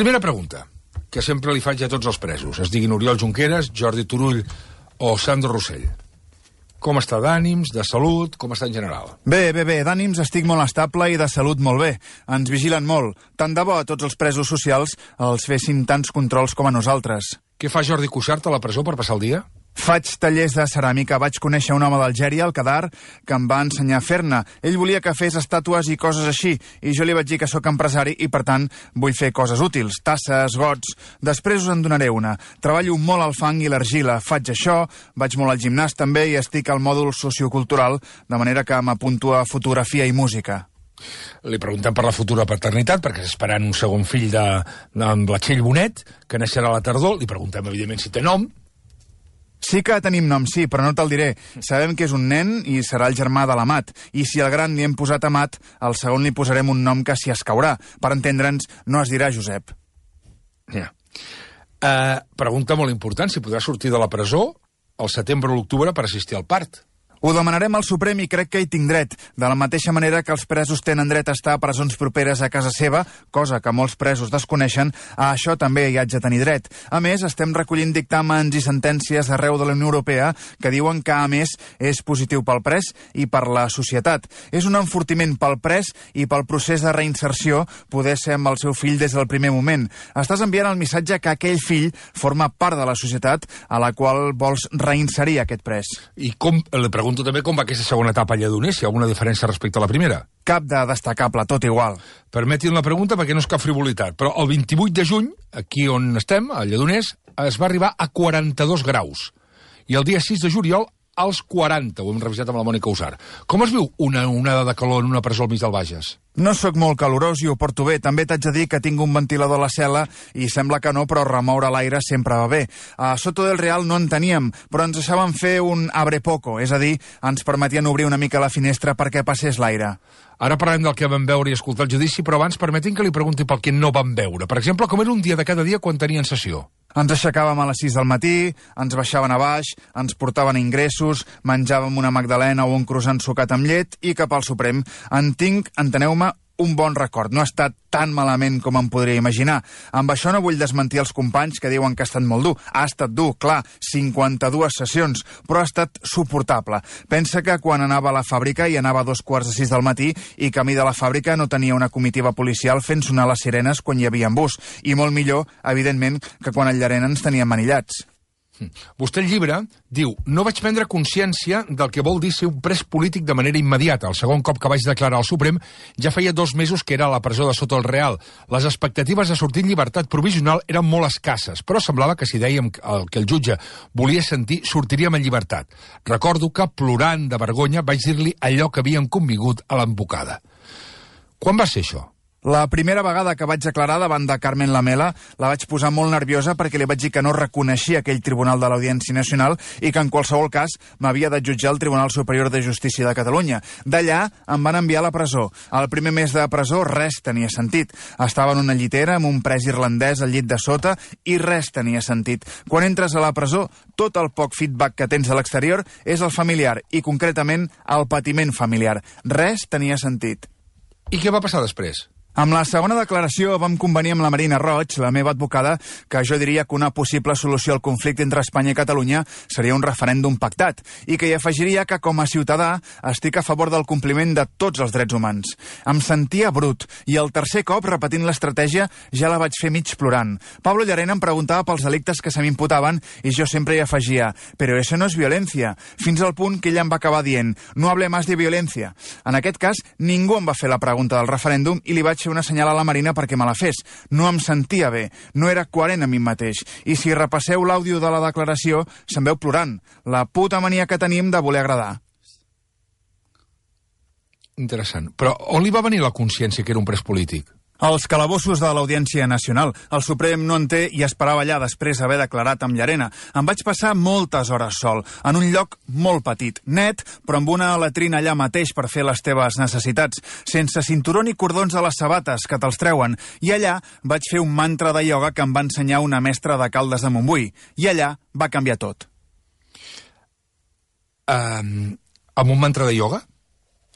Primera pregunta, que sempre li faig a tots els presos, es diguin Oriol Junqueras, Jordi Turull o Sandro Rossell. Com està d'ànims, de salut, com està en general? Bé, d'ànims estic molt estable i de salut molt bé. Ens vigilen molt. Tant de bo a tots els presos socials els fessin tants controls com a nosaltres. Què fa Jordi Cuixart a la presó per passar el dia? Faig tallers de ceràmica. Vaig conèixer un home d'Algèria, al Kadar, que em va ensenyar a fer-ne. Ell volia que fes estàtues i coses així, i jo li vaig dir que sóc empresari i, per tant, vull fer coses útils, tasses, gots. Després us en donaré una. Treballo molt al fang i l'argila. Faig això, vaig molt al gimnàs també i estic al mòdul sociocultural, de manera que m'apunto a fotografia i música. Li preguntem per la futura paternitat, perquè està esperant un segon fill amb la Txell Bonet, que naixerà a la tardor. Li preguntem, evidentment, si té nom. Sí que tenim nom, sí, però no te'l diré. Sabem que és un nen i serà el germà de l'Amat. I si al gran li hem posat Amat, al segon li posarem un nom que s'hi escaurà. Per entendre'ns, no es dirà Josep. Ja. Pregunta molt important, si podrà sortir de la presó al setembre o l'octubre per assistir al part. Ho demanarem al Suprem i crec que hi tinc dret. De la mateixa manera que els presos tenen dret a estar a presons properes a casa seva, cosa que molts presos desconeixen, a això també hi haig de tenir dret. A més, estem recollint dictàmens i sentències arreu de la Unió Europea que diuen que, a més, és positiu pel pres i per la societat. És un enfortiment pel pres i pel procés de reinserció poder ser amb el seu fill des del primer moment. Estàs enviant el missatge que aquell fill forma part de la societat a la qual vols reinserir aquest pres. I li pregunto també com va aquesta segona etapa a Lledoners, si hi ha alguna diferència respecte a la primera. Cap de destacable, tot igual. Permetin la pregunta perquè no és cap frivolitat, però el 28 de juny, aquí on estem, a Lledoners, es va arribar a 42 graus. I el dia 6 de juliol, als 40, ho hem revisat amb la Mònica Usar. Com es viu una onada de calor en una presó al mig del Bages? No sóc molt calorós i ho porto bé. També t'haig de dir que tinc un ventilador a la cel·la i sembla que no, però remoure l'aire sempre va bé. A Soto del Real no en teníem, però ens deixaven fer un abre poco, és a dir, ens permetien obrir una mica la finestra perquè passés l'aire. Ara parlem del que vam veure i escoltar el judici, però abans permetin que li pregunti pel que no vam veure. Per exemple, com era un dia de cada dia quan tenien sessió? Ens aixecàvem a les 6 del matí, ens baixaven a baix, ens portaven ingressos, menjàvem una magdalena o un croissant sucat amb llet i cap al Suprem. En tinc, enteneu-me, un bon record. No ha estat tan malament com em podria imaginar. Amb això no vull desmentir els companys que diuen que ha estat molt dur. Ha estat dur, clar, 52 sessions, però ha estat suportable. Pensa que quan anava a la fàbrica i anava a 5:45 del matí i camí de la fàbrica no tenia una comitiva policial fent sonar les sirenes quan hi havia bus. I molt millor, evidentment, que quan al Llarena ens teníem manillats. Vostè al llibre diu: no vaig prendre consciència del que vol dir ser un pres polític de manera immediata. El segon cop que vaig declarar al Suprem ja feia 2 mesos que era a la presó de Soto el Real. Les expectatives de sortir en llibertat provisional eren molt escasses, però semblava que si dèiem el que el jutge volia sentir, sortiríem en llibertat. Recordo que, plorant de vergonya, vaig dir-li allò que havíem convingut a l'embocada. Quan va ser això? La primera vegada que vaig declarar davant de Carmen Lamela la vaig posar molt nerviosa perquè li vaig dir que no reconeixia aquell tribunal de l'Audiència Nacional i que en qualsevol cas m'havia de jutjar el Tribunal Superior de Justícia de Catalunya. D'allà em van enviar a la presó. Al primer mes de presó res tenia sentit. Estava en una llitera amb un pres irlandès al llit de sota i res tenia sentit. Quan entres a la presó, tot el poc feedback que tens a l'exterior és el familiar i concretament el patiment familiar. Res tenia sentit. I què va passar després? Amb la segona declaració vam convenir amb la Marina Roig, la meva advocada, que jo diria que una possible solució al conflicte entre Espanya i Catalunya seria un referèndum pactat, i que hi afegiria que com a ciutadà estic a favor del compliment de tots els drets humans. Em sentia brut, i el tercer cop, repetint l'estratègia, ja la vaig fer mig plorant. Pablo Llarena em preguntava pels delictes que se m'imputaven i jo sempre hi afegia, però això no és violència, fins al punt que ella em va acabar dient, no hable más de violencia. En aquest cas, ningú em va fer la pregunta del referèndum i li vaig fer una senyal a la Marina perquè me la fes. No em sentia bé, no era coherent a mi mateix. I si repasseu l'àudio de la declaració, se'n veu plorant. La puta mania que tenim de voler agradar. Interessant. Però on li va venir la consciència que era un pres polític? Els calabossos de l'Audiència Nacional. El Suprem no en té i esperava allà després d'haver declarat amb Llarena. Em vaig passar moltes hores sol, en un lloc molt petit, net, però amb una latrina allà mateix per fer les teves necessitats, sense cinturó ni cordons a les sabates que te'ls treuen. I allà vaig fer un mantra de ioga que em va ensenyar una mestra de Caldes de Montbui. I allà va canviar tot. Amb un mantra de ioga?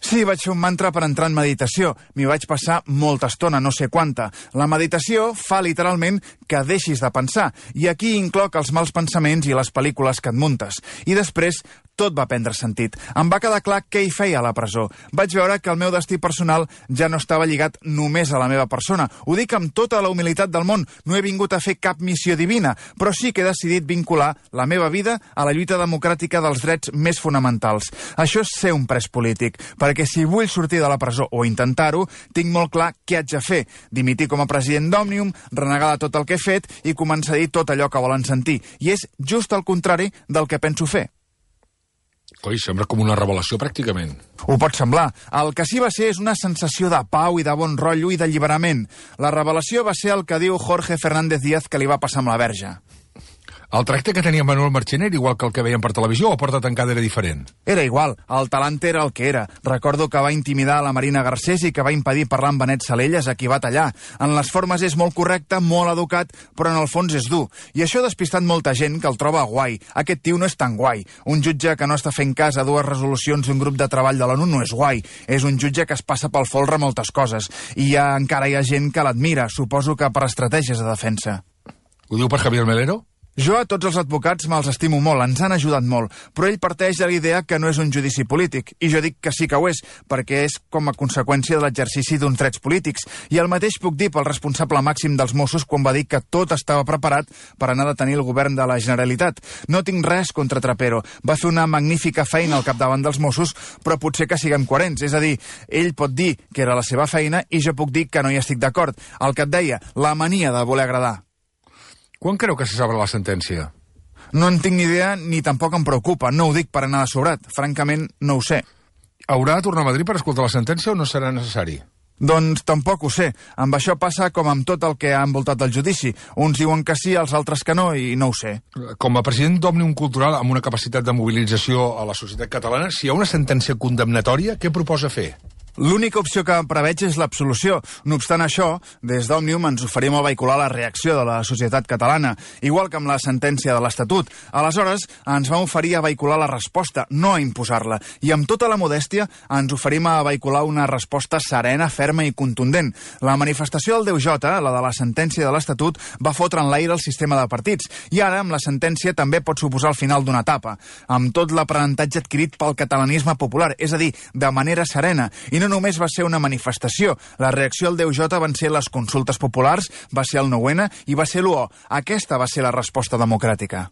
Sí, vaig fer un mantra per entrar en meditació. M'hi vaig passar molta estona, no sé quanta. La meditació fa literalment que deixis de pensar. I aquí incloc els mals pensaments i les pel·lícules que et muntes. I després tot va prendre sentit. Em va quedar clar què hi feia a la presó. Vaig veure que el meu destí personal ja no estava lligat només a la meva persona. Ho dic amb tota la humilitat del món. No he vingut a fer cap missió divina, però sí que he decidit vincular la meva vida a la lluita democràtica dels drets més fonamentals. Això és ser un pres polític, perquè si vull sortir de la presó o intentar-ho, tinc molt clar què haig de fer. Dimitir com a president d'Òmnium, renegar de tot el que he fet i començar a dir tot allò que volen sentir. I és just el contrari del que penso fer. Coi, sembla com una revelació, pràcticament. Ho pot semblar. El que sí va ser és una sensació de pau i de bon rotllo i d'alliberament. La revelació va ser el que diu Jorge Fernández Díaz que li va passar amb la Verge. El tracte que tenia Manuel Marchena era igual que el que veiem per televisió o a porta tancada era diferent? Era igual. El talant era el que era. Recordo que va intimidar a la Marina Garcés i que va impedir parlar amb Benet Salellas, a qui va tallar. En les formes és molt correcte, molt educat, però en el fons és dur. I això ha despistat molta gent que el troba guai. Aquest tio no és tan guai. Un jutge que no està fent cas a dues resolucions d'un grup de treball de l'ONU no és guai. És un jutge que es passa pel folre moltes coses. I encara hi ha gent que l'admira, suposo que per estratègies de defensa. Ho diu per Javier Melero? Jo a tots els advocats me'ls estimo molt, ens han ajudat molt, però ell parteix de la idea que no és un judici polític, i jo dic que sí que ho és, perquè és com a conseqüència de l'exercici d'uns drets polítics, i el mateix puc dir pel responsable màxim dels Mossos quan va dir que tot estava preparat per anar a detenir el govern de la Generalitat. No tinc res contra Trapero, va fer una magnífica feina al capdavant dels Mossos, però potser que siguem coherents, és a dir, ell pot dir que era la seva feina i jo puc dir que no hi estic d'acord. El que et deia, la mania de voler agradar. Quan creu que se sabrà la sentència? No en tinc ni idea ni tampoc em preocupa. No ho dic per anar de sobrat. Francament, no ho sé. Haurà de tornar a Madrid per escoltar la sentència o no serà necessari? Doncs tampoc ho sé. Amb això passa com amb tot el que ha envoltat el judici. Uns diuen que sí, els altres que no, i no ho sé. Com a president d'Òmnium Cultural amb una capacitat de mobilització a la societat catalana, si hi ha una sentència condemnatòria, què proposa fer? L'única opció que preveig és l'absolució. No obstant això, des d'Òmnium ens oferim a vehicular la reacció de la societat catalana, igual que amb la sentència de l'Estatut. Aleshores, ens vam oferir a vehicular la resposta, no a imposar-la. I amb tota la modèstia ens oferim a vehicular una resposta serena, ferma i contundent. La manifestació del 10J, la de la sentència de l'Estatut, va fotre en l'aire el sistema de partits. I ara, amb la sentència, també pot suposar el final d'una etapa, amb tot l'aprenentatge adquirit pel catalanisme popular, és a dir, de manera serena. I no només va ser una manifestació. La reacció al 10J van ser les consultes populars, va ser el 9-N i va ser l'1O. Aquesta va ser la resposta democràtica.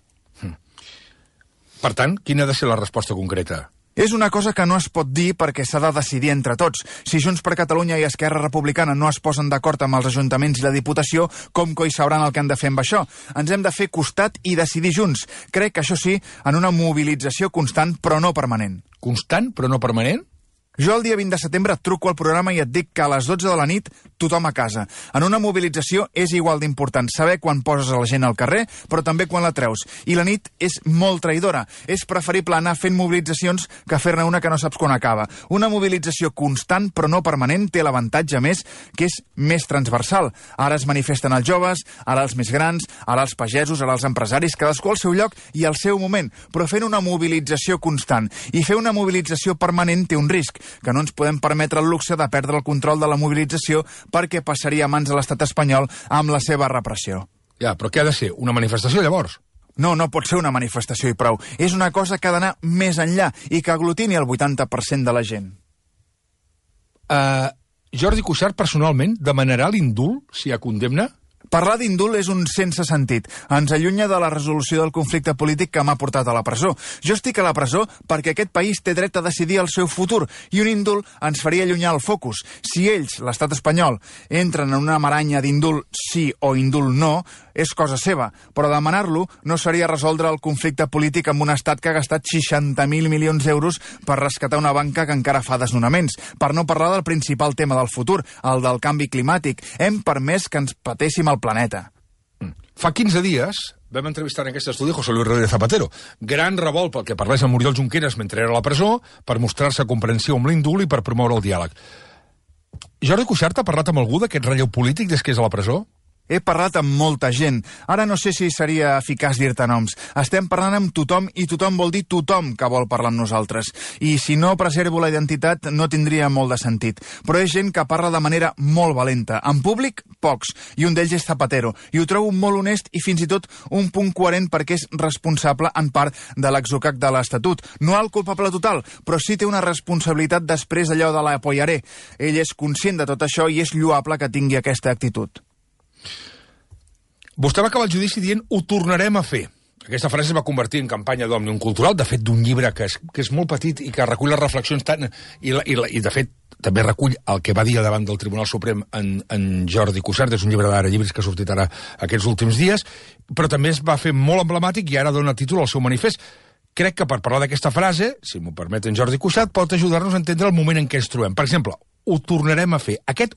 Per tant, quina ha de ser la resposta concreta? És una cosa que no es pot dir perquè s'ha de decidir entre tots. Si Junts per Catalunya i Esquerra Republicana no es posen d'acord amb els ajuntaments i la Diputació, com coi sabran el que han de fer amb això? Ens hem de fer costat i decidir junts. Crec que això sí, en una mobilització constant però no permanent. Constant però no permanent? Jo el dia 20 de setembre et truco al programa i et dic que a les 12 de la nit tothom a casa. En una mobilització és igual d'important saber quan poses a la gent al carrer, però també quan la treus. I la nit és molt traïdora. És preferible anar fent mobilitzacions que fer-ne una que no saps quan acaba. Una mobilització constant però no permanent té l'avantatge més que és més transversal. Ara es manifesten els joves, ara els més grans, ara els pagesos, ara els empresaris, cadascú al seu lloc i al seu moment, però fent una mobilització constant. I fer una mobilització permanent té un risc, que no ens podem permetre el luxe de perdre el control de la mobilització perquè passaria a mans de l'estat espanyol amb la seva repressió. Ja, però què ha de ser? Una manifestació, llavors? No, no pot ser una manifestació i prou. És una cosa que ha d'anar més enllà i que aglutini el 80% de la gent. Jordi Cuixart, personalment, demanarà l'indult si hi ha condemna? Parlar d'indult és un sense sentit. Ens allunya de la resolució del conflicte polític que m'ha portat a la presó. Jo estic a la presó perquè aquest país té dret a decidir el seu futur i un indult ens faria allunyar el focus. Si ells, l'estat espanyol, entren en una maranya d'indult sí o indult no, és cosa seva, però demanar-lo no seria resoldre el conflicte polític amb un estat que ha gastat 60.000 milions d'euros per rescatar una banca que encara fa desnonaments, per no parlar del principal tema del futur, el del canvi climàtic. Hem permès que ens patéssim el planeta. Fa 15 dies vam entrevistar en aquest estudi José Luis Rodríguez Zapatero. Gran revolt pel que parlés amb Oriol Junqueras mentre era a la presó, per mostrar-se comprensiu amb l'indult i per promoure el diàleg. Jordi Cuixart ha parlat amb algú d'aquest relleu polític des que és a la presó? He parlat amb molta gent. Ara no sé si seria eficaç dir-te noms. Estem parlant amb tothom i tothom vol dir tothom que vol parlar amb nosaltres. I si no preservo la identitat no tindria molt de sentit. Però és gent que parla de manera molt valenta. En públic, pocs. I un d'ells és Zapatero. I ho trobo molt honest i fins i tot un punt coherent perquè és responsable en part de l'exocac de l'Estatut. No el culpable total, però sí té una responsabilitat després allò de l'apoyaré. Ell és conscient de tot això i és lloable que tingui aquesta actitud. Vostè va acabar el judici dient ho tornarem a fer. Aquesta frase es va convertir en campanya d'Òmnium Cultural, de fet d'un llibre que és molt petit i que recull les reflexions tant... I de fet també recull el que va dir davant del Tribunal Suprem en Jordi Cuixart, és un llibre d'ara llibres que ha sortit ara aquests últims dies, però també es va fer molt emblemàtic i ara dona títol al seu manifest. Crec que per parlar d'aquesta frase, si m'ho permet en Jordi Cuixart, pot ajudar-nos a entendre el moment en què ens trobem. Per exemple, ho tornarem a fer. Aquest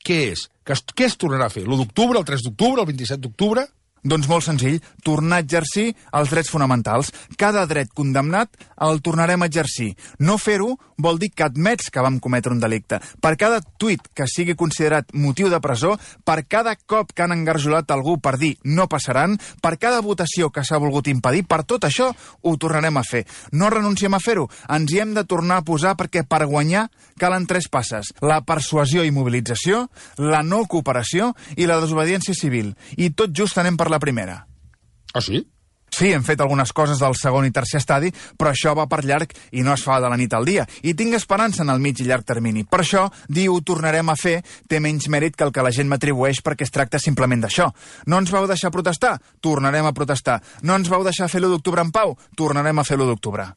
què és? Què es tornarà a fer? L'1 d'octubre, el 3 d'octubre, el 27 d'octubre? Doncs molt senzill, tornar a exercir els drets fonamentals. Cada dret condemnat el tornarem a exercir. No fer-ho vol dir que admets que vam cometre un delicte. Per cada tuit que sigui considerat motiu de presó, per cada cop que han engarjolat algú per dir no passaran, per cada votació que s'ha volgut impedir, per tot això ho tornarem a fer. No renunciem a fer-ho, ens hi hem de tornar a posar perquè per guanyar calen 3 passes. La persuasió i mobilització, la no cooperació i la desobediència civil. I tot just anem per la primera. Ah, sí? Sí, hem fet algunes coses del segon i tercer estadi, però això va per llarg i no es fa de la nit al dia. I tinc esperança en el mig i llarg termini. Per això, dir ho tornarem a fer té menys mèrit que el que la gent m'atribueix perquè es tracta simplement d'això. No ens vau deixar protestar? Tornarem a protestar. No ens vau deixar fer l'1 d'octubre en pau? Tornarem a fer l'1 d'octubre.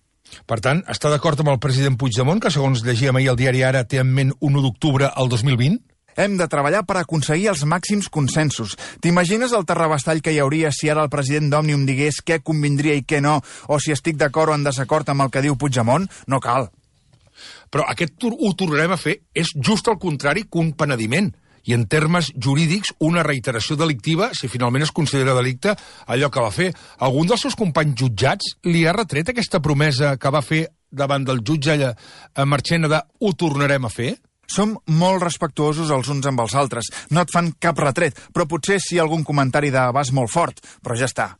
Per tant, està d'acord amb el president Puigdemont, que segons llegíem ahir al diari Ara té en ment 1 d'octubre al 2020? Hem de treballar per aconseguir els màxims consensos. T'imagines el terrabastall que hi hauria si ara el president d'Òmnium digués què convindria i què no, o si estic d'acord o en desacord amb el que diu Puigdemont? No cal. Però aquest ho tornarem a fer és just el contrari que un penediment. I en termes jurídics, una reiteració delictiva, si finalment es considera delicte, allò que va fer. Algun dels seus companys jutjats li ha retret aquesta promesa que va fer davant del jutge Marchena de ho tornarem a fer? Som molt respectuosos els uns amb els altres. No et fan cap retret, però potser sí algun comentari d'abast molt fort, però ja està.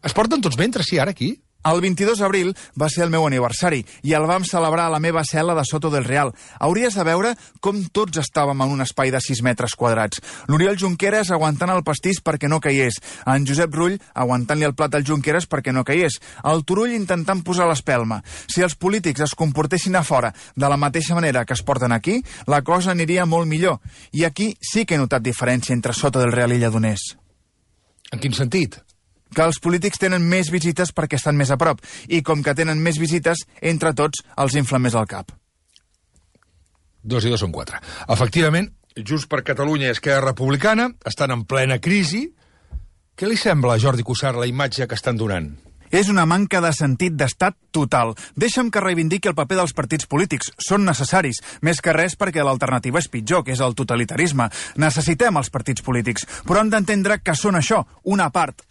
Es porten tots bé entre si ara aquí? El 22 d'abril va ser el meu aniversari i el vam celebrar a la meva cel·la de Soto del Real. Hauries de veure com tots estàvem en un espai de 6 metres quadrats. L'Oriol Junqueras aguantant el pastís perquè no caiés. En Josep Rull aguantant-li el plat al Junqueras perquè no caiés. El Turull intentant posar l'espelma. Si els polítics es comportessin a fora de la mateixa manera que es porten aquí, la cosa aniria molt millor. I aquí sí que he notat diferència entre Soto del Real i Lledoners. En quin sentit? Que els polítics tenen més visites perquè estan més a prop, i com que tenen més visites, entre tots els inflen més al cap. 2 i 2 són 4. Efectivament, Junts per Catalunya i Esquerra Republicana estan en plena crisi. Què li sembla a Jordi Cuixart la imatge que estan donant? És una manca de sentit d'estat total. Deixa'm que reivindiqui el paper dels partits polítics. Són necessaris, més que res perquè l'alternativa és pitjor, que és el totalitarisme. Necessitem els partits polítics, però hem d'entendre que són això, una part,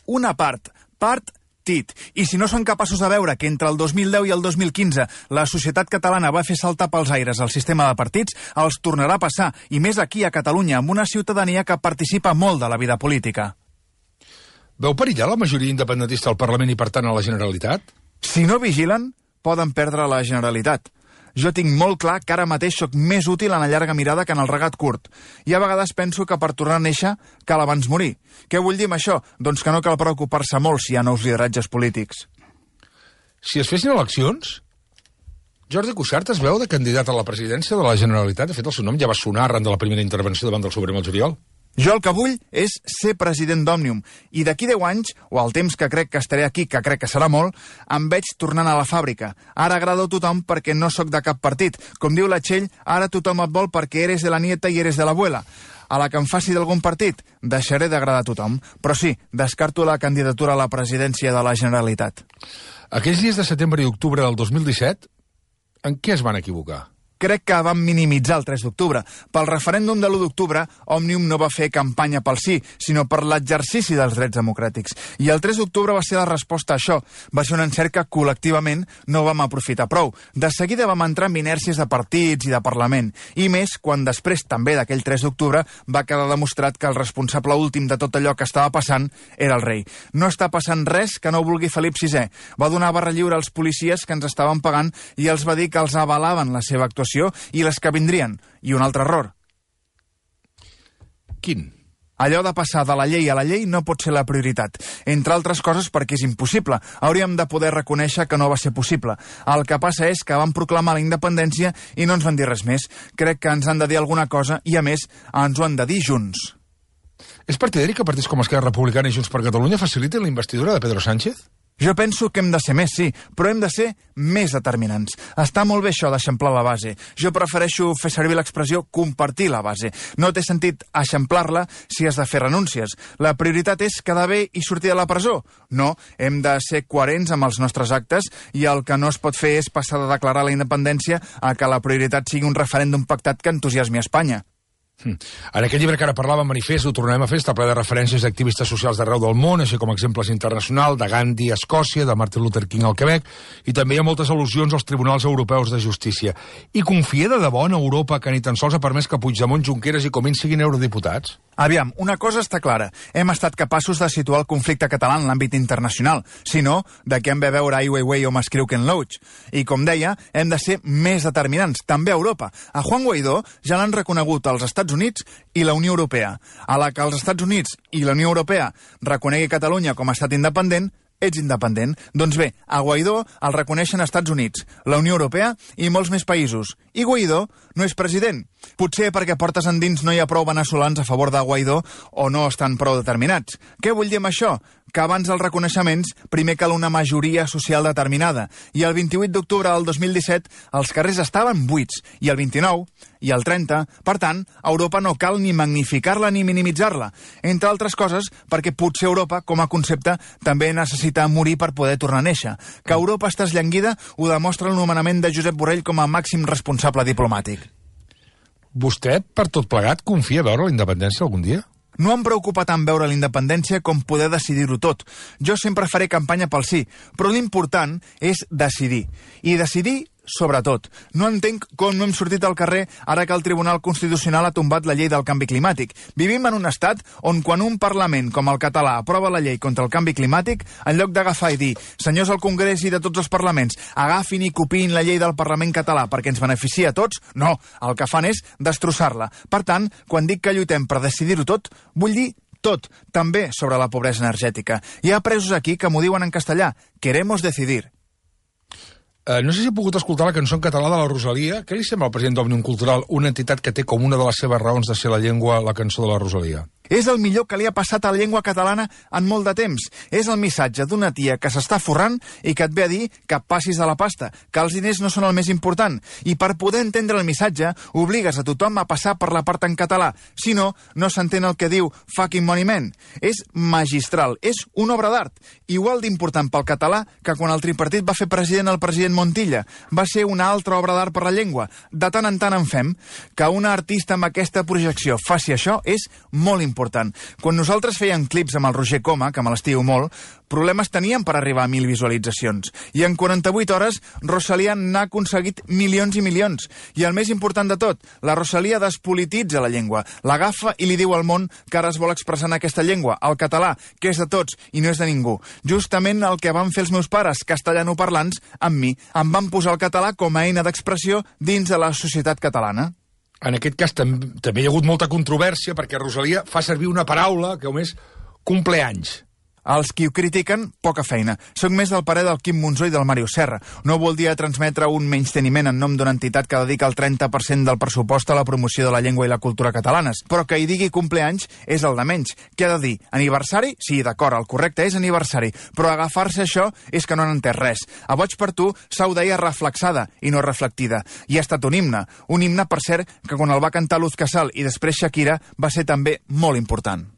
partit. I si no són capaços de veure que entre el 2010 i el 2015 la societat catalana va fer saltar pels aires el sistema de partits, els tornarà a passar, i més aquí a Catalunya, amb una ciutadania que participa molt de la vida política. Veu perillar la majoria independentista al Parlament i, per tant, a la Generalitat? Si no vigilen, poden perdre la Generalitat. Jo tinc molt clar que ara mateix sóc més útil en la llarga mirada que en el regat curt. I a vegades penso que per tornar a néixer cal abans morir. Què vull dir amb això? Doncs que no cal preocupar-se molt si hi ha nous lideratges polítics. Si es fessin eleccions, Jordi Cuixart es veu de candidat a la presidència de la Generalitat. De fet, el seu nom ja va sonar arran de la primera intervenció davant del Suprem al juliol. Jo el que vull és ser president d'Òmnium, i d'aquí 10 anys, o al temps que crec que estaré aquí, que crec que serà molt, em veig tornant a la fàbrica. Ara agrado a tothom perquè no sóc de cap partit. Com diu la Txell, ara tothom et vol perquè eres de la nieta i eres de l'abuela. A la que em faci d'algun partit, deixaré d'agradar a tothom. Però sí, descarto la candidatura a la presidència de la Generalitat. Aquells dies de setembre i octubre del 2017, en què es van equivocar? crec que van minimitzar el 3 d'octubre. Pel referèndum de l'1 d'octubre, Òmnium no va fer campanya pel sí, sinó per l'exercici dels drets democràtics. I el 3 d'octubre va ser la resposta a això. Va ser un encert que col·lectivament no vam aprofitar prou. De seguida vam entrar en inèrcies de partits i de Parlament. I més quan després també d'aquell 3 d'octubre va quedar demostrat que el responsable últim de tot allò que estava passant era el rei. No està passant res que no vulgui Felip VI. Va donar barra lliure als policies que ens estaven pagant i els va dir que els avalaven la seva actuació i les que vindrien. I un altre error. Quin? Allò de passar de la llei a la llei no pot ser la prioritat. Entre altres coses perquè és impossible. Hauríem de poder reconèixer que no va ser possible. El que passa és que van proclamar la independència i no ens van dir res més. Crec que ens han de dir alguna cosa i, a més, ens ho han de dir junts. És partidari que partits com Esquerra Republicana i Junts per Catalunya facilitin la investidura de Pedro Sánchez? Jo penso que hem de ser més, sí, però hem de ser més determinants. Està molt bé això d'eixamplar la base. Jo prefereixo fer servir l'expressió compartir la base. No té sentit eixamplar-la si has de fer renúncies. La prioritat és quedar bé i sortir de la presó. No, hem de ser coherents amb els nostres actes i el que no es pot fer és passar de declarar la independència a que la prioritat sigui un referèndum pactat que entusiasmi a Espanya. En aquest llibre que ara parlàvem, Manifest, ho tornem a fer, està ple de referències d'activistes socials d'arreu del món, així com exemples internacionals, de Gandhi a Escòcia, de Martin Luther King al Quebec, i també hi ha moltes al·lusions als tribunals europeus de justícia. I confia de debò en Europa que ni tan sols ha permès que Puigdemont, Junqueras i Comín siguin eurodiputats? Aviam, una cosa està clara. Hem estat capaços de situar el conflicte català en l'àmbit internacional. Si no, de què hem de veure Ai Weiwei o m'escriu Ken Loach? I, com deia, hem de ser més determinants, també a Europa. A Juan Guaidó ja l'han reconegut els Estats Units i la Unió Europea. A la que els Estats Units i la Unió Europea reconegui Catalunya com a estat independent, ets independent. Doncs bé, a Guaidó el reconeixen Estats Units, la Unió Europea i molts més països. I Guaidó no és president. Potser perquè portes endins no hi ha prou veneçolans a favor de Guaidó o no estan prou determinats. Què vull dir amb això? Que abans dels reconeixements primer cal una majoria social determinada. I el 28 d'octubre del 2017 els carrers estaven buits, i el 29 i el 30. Per tant, a Europa no cal ni magnificar-la ni minimitzar-la. Entre altres coses, perquè potser Europa, com a concepte, també necessita morir per poder tornar a néixer. Que Europa està esllanguida ho demostra el nomenament de Josep Borrell com a màxim responsable diplomàtic. Vostè, per tot plegat, confia veure la independència algun dia? No em preocupa tant veure la independència com poder decidir-ho tot. Jo sempre faré campanya pel sí, però l'important és decidir. I decidir sobretot. No entenc com no hem sortit al carrer ara que el Tribunal Constitucional ha tombat la llei del canvi climàtic. Vivim en un estat on quan un Parlament com el català aprova la llei contra el canvi climàtic, en lloc d'agafar i dir senyors al Congrés i de tots els parlaments, agafin i copiïn la llei del Parlament català perquè ens beneficia a tots, no, el que fan és destrossar-la. Per tant, quan dic que lluitem per decidir-ho tot, vull dir tot, també sobre la pobresa energètica. Hi ha presos aquí que m'ho diuen en castellà, queremos decidir. No sé si he pogut escoltar la cançó en català de la Rosalia. Què li sembla al president d'Òmnium Cultural, una entitat que té com una de les seves raons de ser la llengua la cançó de la Rosalia? És el millor que li ha passat a la llengua catalana en molt de temps. És el missatge d'una tia que s'està forrant i que et ve a dir que passis de la pasta, que els diners no són el més important. I per poder entendre el missatge, obligues a tothom a passar per la part en català. Si no, no s'entén el que diu fucking money man. És magistral, és una obra d'art. Igual d'important pel català que quan el tripartit va fer president el president Montilla. Va ser una altra obra d'art per la llengua. De tant en tant en fem. Que una artista amb aquesta projecció faci això és molt important. Quan nosaltres fèiem clips amb el Roger Coma, que me l'estimo molt, problemes teníem per arribar a 1.000 visualitzacions. I en 48 hores, Rosalia n'ha aconseguit milions i milions. I el més important de tot, la Rosalia despolititza la llengua, l'agafa i li diu al món que ara es vol expressar en aquesta llengua, el català, que és de tots i no és de ningú. Justament el que van fer els meus pares, castellanoparlants, amb mi. Em van posar el català com a eina d'expressió dins de la societat catalana. En aquest cas també hi ha hagut molta controvèrsia perquè Rosalia fa servir una paraula que és cumpleanys. Els qui ho critiquen, poca feina. Soc més del parer del Quim Monzó i del Màriu Serra. No voldria transmetre un menysteniment en nom d'una entitat que dedica el 30% del pressupost a la promoció de la llengua i la cultura catalanes. Però que hi digui cumpleanys és el de menys. Què ha de dir? Aniversari? Sí, d'acord, el correcte és aniversari. Però agafar-se això és que no han entès res. A Boig per tu s'ho deia reflexada i no reflectida. I ha estat un himne. Un himne, per cert, que quan el va cantar Luz Casal i després Shakira va ser també molt important.